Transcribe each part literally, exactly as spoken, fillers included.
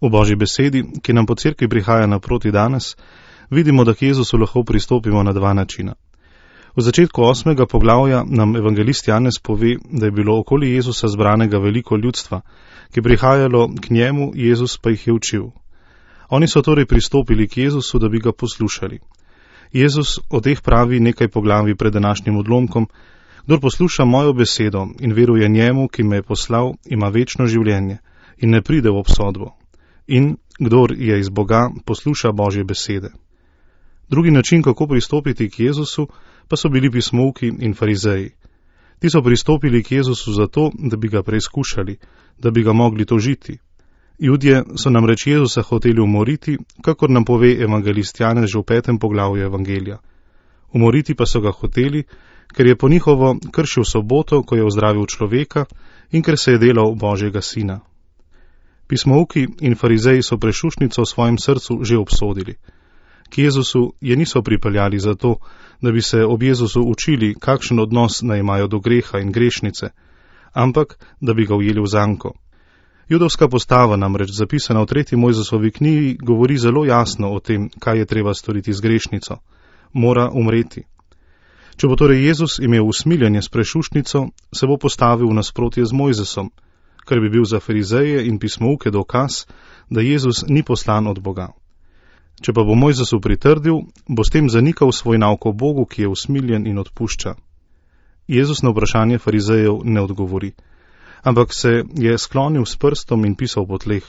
V Božji besedi, ki nam po cerkvi prihaja naproti danes, vidimo, da k Jezusu lahko pristopimo na dva načina. V začetku osmega poglavja nam evangelist Janez pove, da je bilo okoli Jezusa zbranega veliko ljudstva, ki je prihajalo k njemu, Jezus pa jih je učil. Oni so torej pristopili k Jezusu, da bi ga poslušali. Jezus o teh pravi nekaj poglavij pred današnjim odlomkom: kdor posluša mojo besedo in veruje njemu, ki me je poslal, ima večno življenje in ne pride v obsodbo. In kdor je iz Boga, posluša Božje besede. Drugi način, kako pristopiti k Jezusu, pa so bili pismovki in farizeji. Ti so pristopili k Jezusu zato, da bi ga preizkušali, da bi ga mogli tožiti. Judje so namreč Jezusa hoteli umoriti, kakor nam pove evangelist Janez že v petem poglavju evangelija. Umoriti pa so ga hoteli, ker je po njihovo kršil soboto, ko je ozdravil človeka in ker se je delal Božjega sina. Pismovki in farizeji so prešušnico v svojem srcu že obsodili. K Jezusu je niso pripeljali zato, da bi se ob Jezusu učili, kakšen odnos naj imajo do greha in grešnice, ampak da bi ga ujeli v zanko. Judovska postava, namreč zapisana v tretji Mojzesovi knjigi, govori zelo jasno o tem, kaj je treba storiti z grešnico. Mora umreti. Če bo torej Jezus imel usmiljenje s prešušnico, se bo postavil v nasprotje z Mojzesom, kar bi bil za farizeje in pismovke dokaz, da Jezus ni poslan od Boga. Če pa bo Mojzesu pritrdil, bo s tem zanikal svoj nauk o Bogu, ki je usmiljen in odpušča. Jezus na vprašanje farizejev ne odgovori, ampak se je sklonil s prstom in pisal po tleh.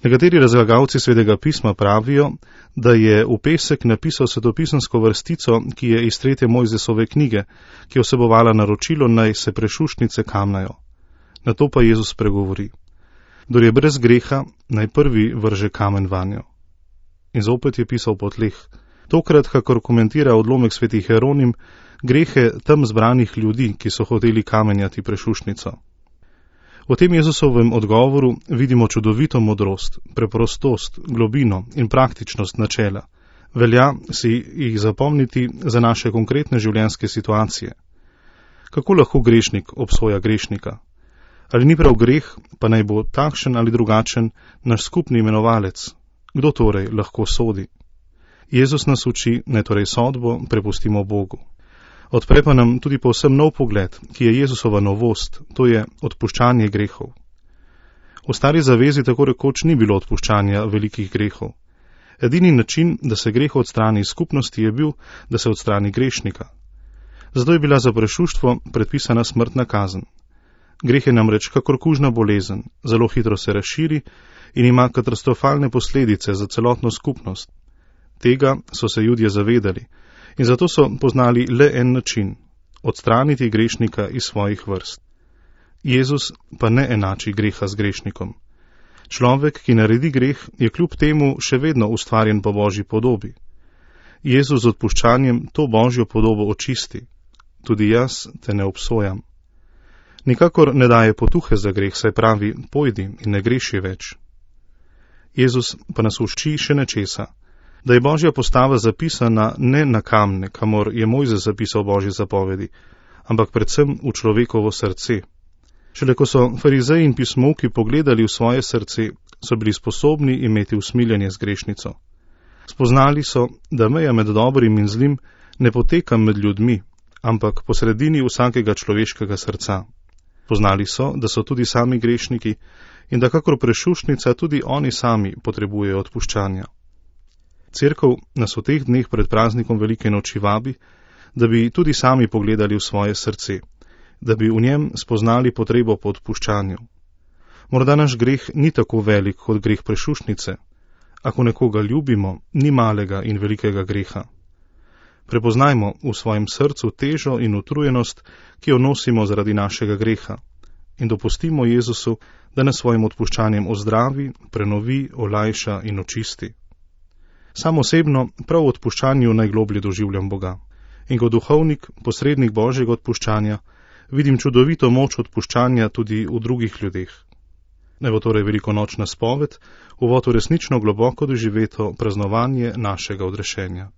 Nekateri razlagalci Svetega pisma pravijo, da je v pesek napisal svetopisemsko vrstico, ki je iz tretje Mojzesove knjige, ki je vsebovala naročilo, naj se prešušnice kamnajo. Na to pa Jezus pregovori: kdor je brez greha, naj prvi vrže kamen vanjo. In zopet je pisal po tleh. Tokrat, kakor komentira odlomek svetih Jeronim, grehe tam zbranih ljudi, ki so hoteli kamenjati prešušnico. V tem Jezusovem odgovoru vidimo čudovito modrost, preprostost, globino in praktičnost načela. Velja si jih zapomniti za naše konkretne življenjske situacije. Kako lahko grešnik obsoja grešnika? Ali ni prav greh, pa naj bo takšen ali drugačen, naš skupni imenovalec? Kdo torej lahko sodi? Jezus nas uči, naj torej sodbo prepustimo Bogu. Odpre pa nam tudi povsem nov pogled, ki je Jezusova novost, to je odpuščanje grehov. V stari zavezi tako rekoč ni bilo odpuščanja velikih grehov. Edini način, da se greh odstrani iz skupnosti, je bil, da se odstrani grešnika. Zato je bila za prešuštvo predpisana smrtna kazen. Greh je namreč kakor kužna bolezen, zelo hitro se razširi in ima katastrofalne posledice za celotno skupnost. Tega so se Judje zavedali in zato so poznali le en način: odstraniti grešnika iz svojih vrst. Jezus pa ne enači greha z grešnikom. Človek, ki naredi greh, je kljub temu še vedno ustvarjen po Božji podobi. Jezus z odpuščanjem to Božjo podobo očisti. Tudi jaz te ne obsojam. Nikakor ne daje potuhe za greh, saj pravi: pojdi in ne greši več. Jezus pa nas uči še nečesa, da je Božja postava zapisana ne na kamne, kamor je Mojzes zapisal Božje zapovedi, ampak predvsem v človekovo srce. Šele ko so farizeji in pismovki pogledali v svoje srce, so bili sposobni imeti usmiljenje z grešnico. Spoznali so, da meja med dobrim in zlim ne poteka med ljudmi, ampak po sredini vsakega človeškega srca. Poznali so, da so tudi sami grešniki in da kakor prešušnica tudi oni sami potrebujejo odpuščanja. Cerkev nas v teh dneh pred praznikom velike noči vabi, da bi tudi sami pogledali v svoje srce, da bi v njem spoznali potrebo po odpuščanju. Morda naš greh ni tako velik kot greh prešušnice. Ako nekoga ljubimo, ni malega in velikega greha. Prepoznajmo v svojem srcu težo in utrujenost, ki jo nosimo zaradi našega greha, in dopustimo Jezusu, da nas svojim odpuščanjem ozdravi, prenovi, olajša in očisti. Sam osebno prav v odpuščanju najgloblje doživljam Boga in kot duhovnik, posrednik Božjega odpuščanja, vidim čudovito moč odpuščanja tudi v drugih ljudeh. Naj bo torej velikonočna spoved, uvod v resnično globoko doživeto praznovanje našega odrešenja.